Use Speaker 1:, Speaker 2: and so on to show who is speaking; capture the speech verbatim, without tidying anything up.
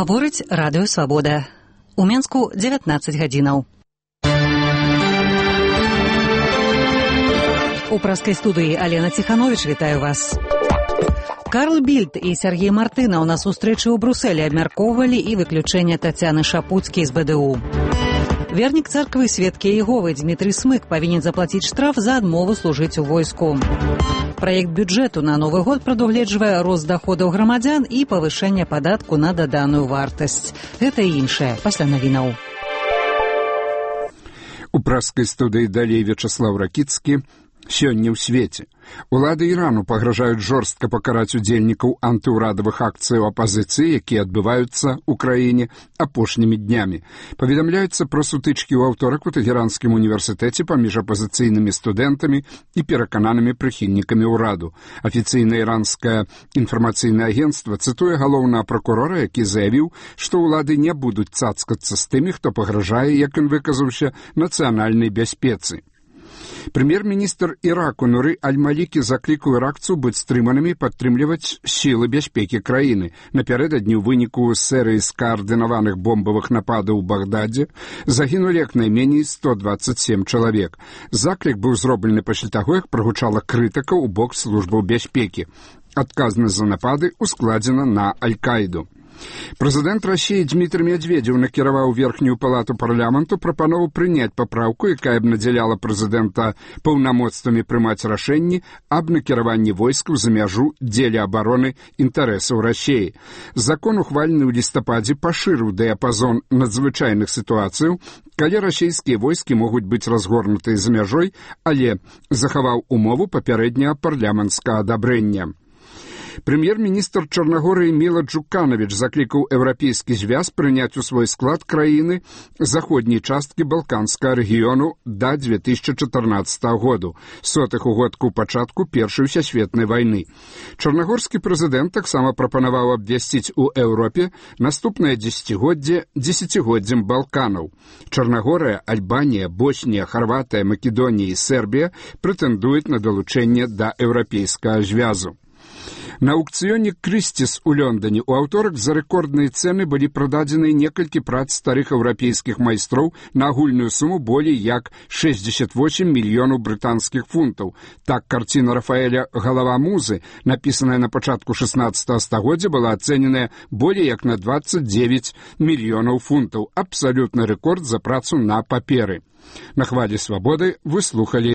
Speaker 1: Гаворыць радыё Свабода. У Менску дзевятнаццаць гадзінаў. У праскай студыі Алена Ціхановіч вітаю вас. Карл Більд і Сергей Мартынаў на сустрэчы ў Брусэлі абмяркоўвалі і выключэнне Тацяны Шапуцкай з бэ дэ у. Вернік царквы Сведкі Іеговы Дмітрый Смык павінен заплаціць штраф за адмову служыць у войску. Праект бюджэту на новы год прадугледжвае рост даходаў грамадзян і павышэнне падатку на даданую вартасць. Гэта і іншае пасля навінаў.
Speaker 2: У праскай студыі далей Вячаслав Ракіцкі. Сёння ў свеце. Улады Ірану пагражаюць жорстка пакараць удзельнікаў антыўрадавых акцыяў апазіцыі, якія адбываюцца ў краіне апошнімі днямі. Паведамляецца пра сутычкі ў аўторак у Тэхеранскім універсітэце паміж апазіцыйнымі студэнтамі і перакананымі прыхільнікамі ўраду. Афіцыйнае іранскае інфармацыйнае агенцтва цытуе галоўнага пракурора, які заявіў, што ўлады не будуць цацкацца з тымі, хто пагражае, як ён выказаўся, нацыянальнай бяспецы. Прэм'ер-міністр Іраку Нуры Аль-Малікі заклікаў іракцаў быць стрыманымі і падтрымліваць сілы бяспекі краіны. Напярэдадні ў выніку серыі скаардынаваных бомбавых нападаў у Багдадзе загінулі як найменей сто дваццаць сем чалавек. Заклік быў зроблены пасля таго, як прагучала крытыка ў бок службаў бяспекі. Адказнасць за напады ускладзена на Аль-Каіду. Прэзідэнт Расіі Дмітрый Медведзеў накіраваў верхнюю палату парламенту прапанову прыняць папраўку, якая б надзяляла прэзідэнта паўнамоцтвамі прымаць рашэнні аб накіраванні войскаў за мяжу дзеля абароны інтарэсаў Расіі. Закон, ухвалены ў лістападзе, пашырыў дыяпазон надзвычайных сітуацыяў, калі расійскія войскі могуць быць разгорнутыя за мяжой, але захаваў умову папярэдняга парламенцкага адабрэння. Прэм'ер-міністр Чарнагорыі Міла Джуканавіч заклікаў еўрапейскі звяз прыняць у свой склад краіны заходняй часткі балканскага рэгіёну да дзве тысячы чатырнаццатага году, сотых угодку ў пачатку Першай сусветнай вайны. Чарнагорскі прэзідэнт таксама прапанаваў абвясціць у Еўропе наступнае дзесяцігоддзе дзесяцігоддзем Балканаў. Чарнагорыя, Альбанія, Боснія, Харватыя, Македонія і Сербія прэтэндуюць на далучэнне да еўрапейскага звязу. На аукцыёне Крысціс у Лондоне ў аўторак за рэкордныя цэны былі прададзены некалькі прац старых еўрапейскіх майстроў на агульную суму болей як шэсцьдзесят восем мільёнаў брытанскіх фунтаў. Так, карціна Рафаэля «Галава музы», напісаная на пачатку шаснаццатага стагоддзя, была ацэненая болей як на дваццаць дзевяць мільёнаў фунтаў. Абсалютны рэкорд за працу на паперы. На хвалі Свабоды вы слухалі